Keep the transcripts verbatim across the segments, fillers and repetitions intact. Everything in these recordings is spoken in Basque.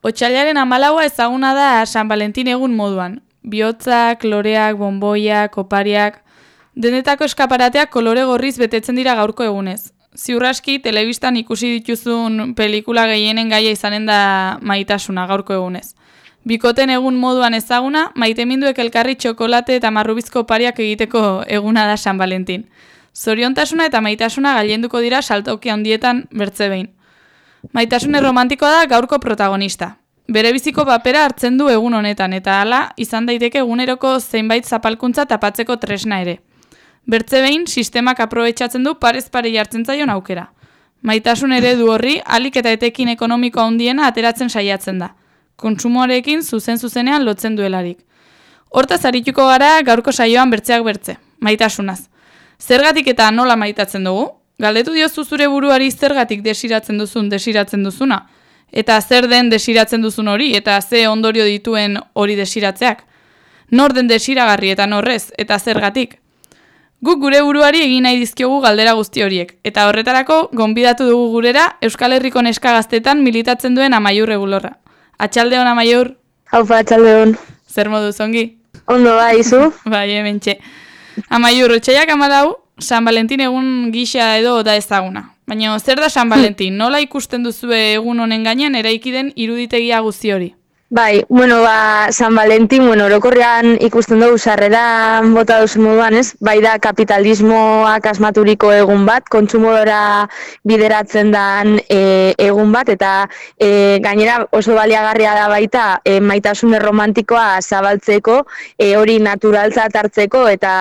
Otsailaren hamalaua ezaguna da San Valentin egun moduan. Bihotzak, loreak, bonboiak, opariak, denetako eskaparateak kolore gorriz betetzen dira gaurko egunez. Ziur aski, telebistan ikusi dituzun pelikula gehienen gaia izanen da maitasuna gaurko egunez. Bikoten egun moduan ezaguna, maiteminduek elkarri txokolate eta marrubizko opariak egiteko eguna da San Valentin. Zoriontasuna eta maitasuna gailenduko dira saltoki handietan bertze behin. Maitasune romantikoa da gaurko protagonista. Bere biziko papera hartzen du egun honetan, eta hala izan daiteke eguneroko zeinbait zapalkuntza tapatzeko tresna ere. Bertze behin, sistemak aprobetxatzen du parez pare jartzen zaion aukera. Maitasun eredu horri, alik eta etekin ekonomiko handiena ateratzen saiatzen da. Kontsumoarekin zuzen-zuzenean lotzen duelarik. Hortaz arituko gara gaurko saioan bertzeak bertze, maitasunaz. Zergatik eta nola maitatzen dugu? Galdetu diozu zure buruari zergatik desiratzen duzun desiratzen duzuna? Eta zer den desiratzen duzun hori, eta ze ondorio dituen hori desiratzeak? Nor den desiragarri eta norrez, eta zergatik? Guk gure buruari egin nahi dizkiogu galdera guzti horiek, eta horretarako gonbidatu dugu gurera Euskal Herriko neska gaztetan militatzen duen Amaiur Regulorra. Atxaldeon, Amaiur? Haupa, atxaldeon. Zer moduz, ongi? Ondo bai, zu? Bai, hementxe. Amaiur, otxaiak amalau, San Valentin egun gisa edo da ezaguna. Baina zer da San Valentin? Nola ikusten duzue egun honen gainean eraiki den iruditegia guzti hori? Bai, bueno, ba, San Valentin, bueno, orokorrean ikusten dugu sarrera bota duzu moduan, ez? Bai da kapitalismoak asmaturiko egun bat, kontsumodora bideratzen dan e, egun bat, eta e, gainera oso baliagarria da baita e, maitasune romantikoa zabaltzeko, e, hori naturaltzat hartzeko, eta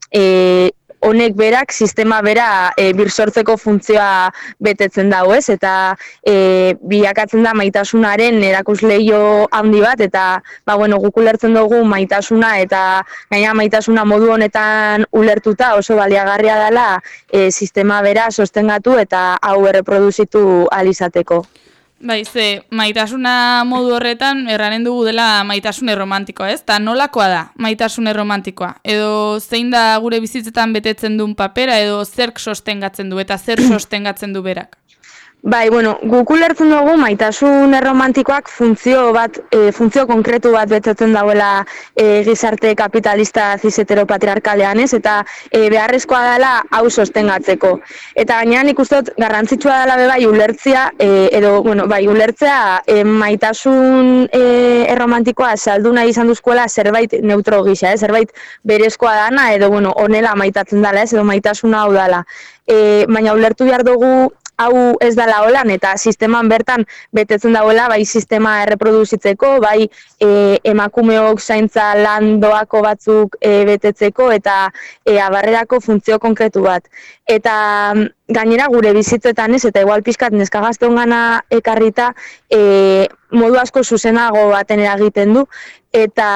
e, honek berak, sistema bera e, birsortzeko funtzioa betetzen dago, ez? Eta e, bilakatzen da maitasunaren erakusleio handi bat, eta ba, bueno, guk ulertzen dugu maitasuna, eta gaina maitasuna modu honetan ulertuta oso baliagarria dela e, sistema bera sostengatu eta hau erreproduzitu ahal izateko. Bai, ze, maitasuna modu horretan erranen dugu dela maitasune romantikoa, ez? Ta nolakoa da maitasune romantikoa? Edo zein da gure bizitzetan betetzen duen papera, edo zerk sostengatzen du, eta zer sostengatzen du berak? Bai, bueno, guk ulertzen dugu maitasun erromantikoak funtzio bat, e, funtzio konkretu bat betetzen dauela e, gizarte kapitalista ziseteropatriarkalean, ez? Eta e, beharrezkoa dela hau sostengatzeko. Eta gainean nik uste dut garrantzitsua dela be bai ulertzea, e, edo, bueno, bai ulertzea e, maitasun e, erromantikoa saldu nahi izan duzkoela zerbait neutro gisa, ez? Zerbait berezkoa dana, edo, bueno, honela maitatzen dela, ez? Edo maitasuna hau dela. E, baina ulertu behar dugu hau ez dela holan, eta sisteman bertan betetzen dagoela, bai sistema erreproduzitzeko, bai e, emakumeok zaintza lan doako batzuk e, betetzeko, eta e, abarrerako funtzio konkretu bat. Eta gainera gure bizitzetan ez, eta igual pixkat neska gazteongana ekarrita, e, modu asko zuzenago baten eragiten du, eta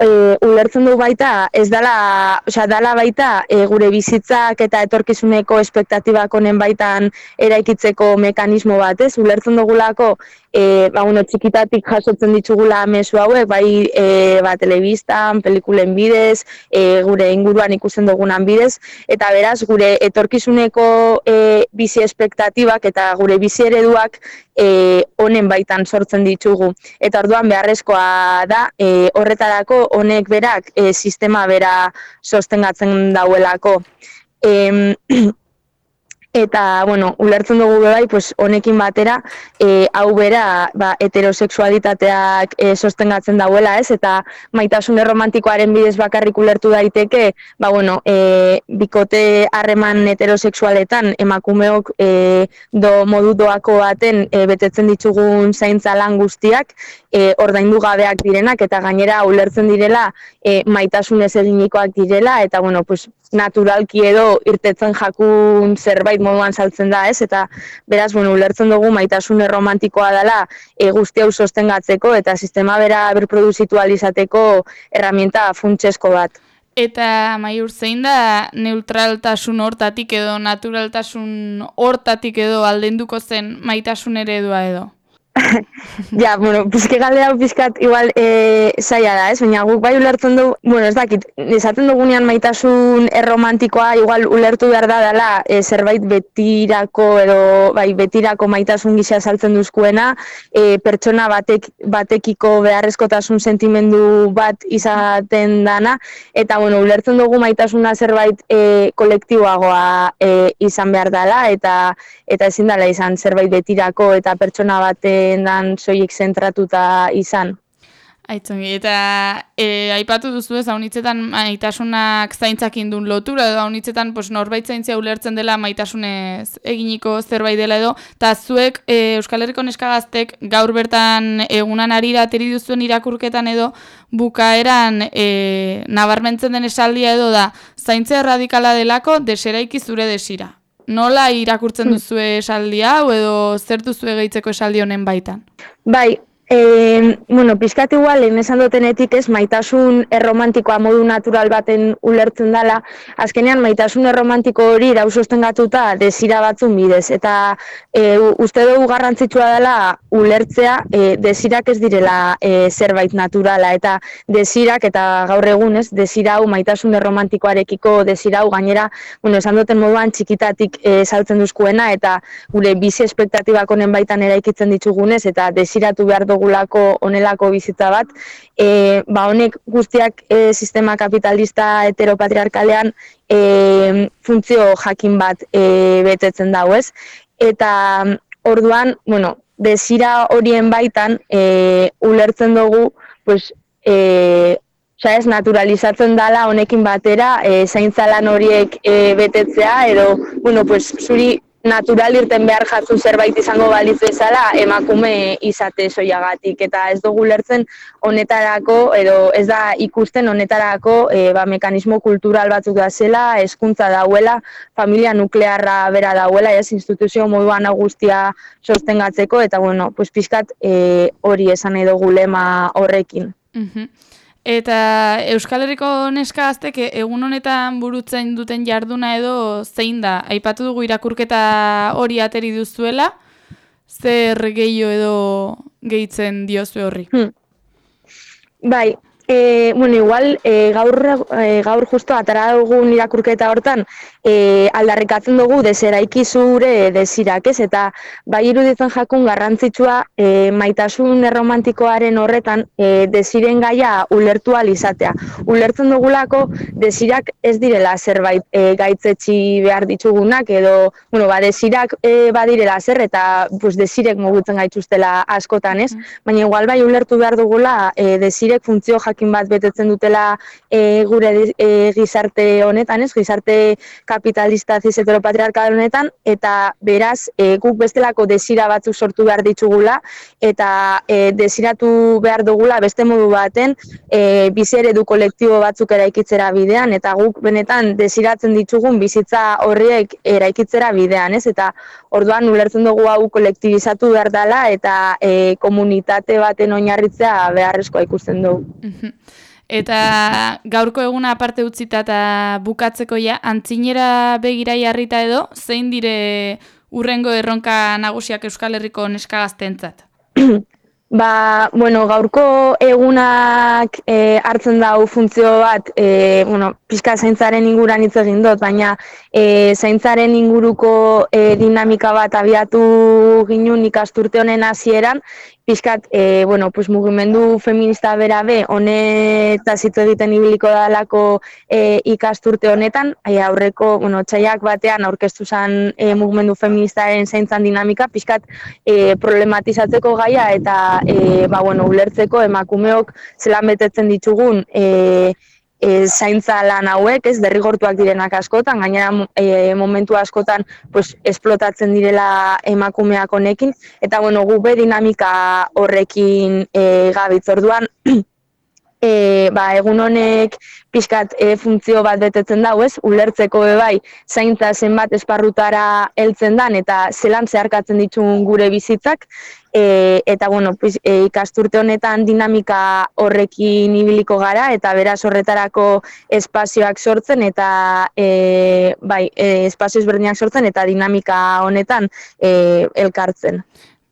e, ulertzen du baita, ez dala, osea, dala baita e, gure bizitzak eta etorkizuneko espektatibak honen baitan eraikitzeko mekanismo bat, ez? Ulertzen dugulako, e, ba, bueno, txikitatik jasotzen ditugula mezu hauek, bai e, ba, telebistan, pelikulen bidez, e, gure inguruan ikusten dugunan bidez, eta beraz, gure etorkizuneko e, bizi espektatibak eta gure bizi ereduak e, honen baitan sortzen ditugu. Eta orduan beharrezkoa da, e, horretarako honek berak e, sistema bera sostengatzen dauelako. E, Eta, bueno, ulertzen dugu bai, pues, honekin batera, e, hau bera, ba, heterosexualitateak e, sostengatzen dauela, ez? Eta maitasune romantikoaren bidez bakarrik ulertu daiteke, ba, bueno, e, bikote harreman heterosexualetan emakumeok e, do modu doako baten e, betetzen ditugun zaintza lan guztiak, e, ordaindu gabeak direnak, eta gainera ulertzen direla e, maitasunez eginikoak direla, eta, bueno, pues, naturalki edo irtetzen jakun zerbait moduan saltzen da, ez? Eta beraz, bueno, ulertzen dugu maitasune romantikoa dela e, guzti hau sostengatzeko eta sistema bera berproduzitu ahal izateko erramienta funtsesko bat. Eta Amaiur, zein da neutraltasun hortatik edo naturaltasun hortatik edo aldenduko zen maitasun eredua edo? Ja, bueno, pizke galde hau pizkat igual e, zaila da, ez? Baina guk bai ulertzen du, bueno, ez dakit, esaten dugunean maitasun erromantikoa igual ulertu behar da dela e, zerbait betirako edo bai betirako maitasun gisa saltzen duzkuena, e, pertsona batek batekiko beharrezkotasun sentimendu bat izaten dana, eta bueno, ulertzen dugu maitasuna zerbait e, kolektiboagoa e, izan behar dela, eta eta ezin dela izan zerbait betirako eta pertsona batengan soilik zentratuta izan. Aitzongi, eta e, aipatu duzu ez, haunitzetan maitasunak zaintzakin duen lotura, edo haunitzetan pues, norbait zaintzia ulertzen dela maitasunez eginiko zerbait dela edo, eta zuek e, Euskal Herriko neskagaztek gaur bertan egunan ari da ateri duzuen irakurketan edo, bukaeran e, nabarmentzen den esaldia edo da, zaintza erradikala delako deseraiki zure desira. Nola irakurtzen duzue esaldi hau edo zer duzue gehitzeko esaldi honen baitan? Bai, e, bueno, pizkat igual, lehen esan dutenetik ez, maitasun erromantikoa modu natural baten ulertzen dela, azkenean maitasun erromantiko hori irau sostengatuta desira batzun bidez, eta e, uste dugu garrantzitsua dela ulertzea e, desirak ez direla e, zerbait naturala, eta desirak, eta gaur egun ez, desira hau maitasun erromantikoarekiko desira hau gainera, bueno, esan duten moduan txikitatik e, saltzen duzkuena, eta gure bizi espektatibak honen baitan eraikitzen ditugunez, eta desiratu behar dugulako onelako bizitza bat, e, ba honek guztiak e, sistema kapitalista heteropatriarkalean e, funtzio jakin bat e, betetzen dau, ez? Eta orduan, bueno, desira horien baitan e, ulertzen dugu, pues, e, Osa ez, naturalizatzen dala honekin batera, e, zaintzalan horiek e, betetzea, edo, bueno, pues, zuri natural irten behar jatzu zerbait izango balitz bezala emakume izate soiagatik, eta ez dugu lertzen honetarako, edo ez da ikusten honetarako e, ba, mekanismo kultural batzuk da zela, hezkuntza dauela, familia nuklearra bera dauela, ez, instituzio moduan guztia sostengatzeko, eta bueno, pues, pizkat e, hori esan edo gulema horrekin. Mhm. Eta Euskal Herriko neskagaztek egun honetan burutzen duten jarduna edo zein da? Aipatu dugu irakurketa hori ateri duzuela, zer gehiago edo gehitzen diozu horri? Hmm. Bai, e, bueno, igual e, gaur, e, gaur justo atara dugun irakurketa hortan e, aldarrikatzen dugu deseraiki zure desirak, ez? Eta bai iruditzen jakun garrantzitsua e, maitasun erromantikoaren horretan e, desiren gaia ulertu ahal izatea. Ulertzen dugulako desirak ez direla zerbait e, gaitzetsi behar ditugunak edo, bueno, ba, desirak e, badirela zer eta pues, desirek mugitzen gaituztela askotan, ez? Baina igual bai ulertu behar dugula e, desirek funtzio jakin bat betetzen dutela e, gure e, gizarte honetan, ez? Gizarte kapitalista cis heteropatriarkal honetan, eta beraz e, guk bestelako desira batzuk sortu behar ditugula, eta e, desiratu behar dugula beste modu baten e, bizi eredu kolektibo batzuk eraikitzera bidean, eta guk benetan desiratzen ditugun bizitza horriek eraikitzera bidean, ez? Eta orduan ulertzen dugu hau kolektibizatu behar dela, eta e, komunitate baten oinarritzea beharrezkoa ikusten dugu. Eta gaurko eguna aparte utzita eta bukatzeko ja, antzinera begira jarrita edo, zein dire urrengo erronka nagusiak Euskal Herriko neskagaztentzat? Ba, bueno, gaurko egunak e, hartzen dau funtzio bat, e, bueno, pixka zaintzaren inguran hitz egin dut, baina e, zaintzaren inguruko e, dinamika bat abiatu ginun ikasturte honen hasieran, pixkat, e, bueno, pues, mugimendu feminista bera be, honetaz hitz egiten ibiliko dalako e, ikasturte honetan, e, aurreko, bueno, txaiak batean aurkeztu zen e, mugimendu feministaren zaintzan dinamika, pixkat e, problematizatzeko gaia eta e, ba, bueno, ulertzeko emakumeok zelan betetzen ditugun e, E, zaintza lan hauek, ez, derrigortuak direnak askotan, gainera e, momentu askotan pues, esplotatzen direla emakumeak honekin, eta bueno, gu be dinamika horrekin e, gabitz orduan, E, ba, egun honek pixkat e, funtzio bat betetzen dau, ez? Ulertzeko be bai, zaintza zenbat esparrutara heltzen dan eta zelan zeharkatzen ditun gure bizitzak, e, eta bueno, pues, e, ikasturte honetan dinamika horrekin ibiliko gara eta beraz horretarako espazioak sortzen eta e, bai, e, espazio ezberdinak sortzen eta dinamika honetan e, elkartzen.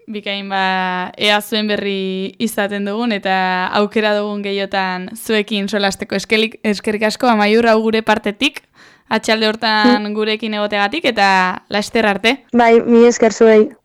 bikain ba, ea zuen berri izaten dugun, eta aukera dugun gehiotan zuekin solasteko. Eskelik, eskerrik asko, Amaiur, hau gure partetik, atxalde hortan gurekin egotegatik, eta laster arte. Bai, mi esker zuei.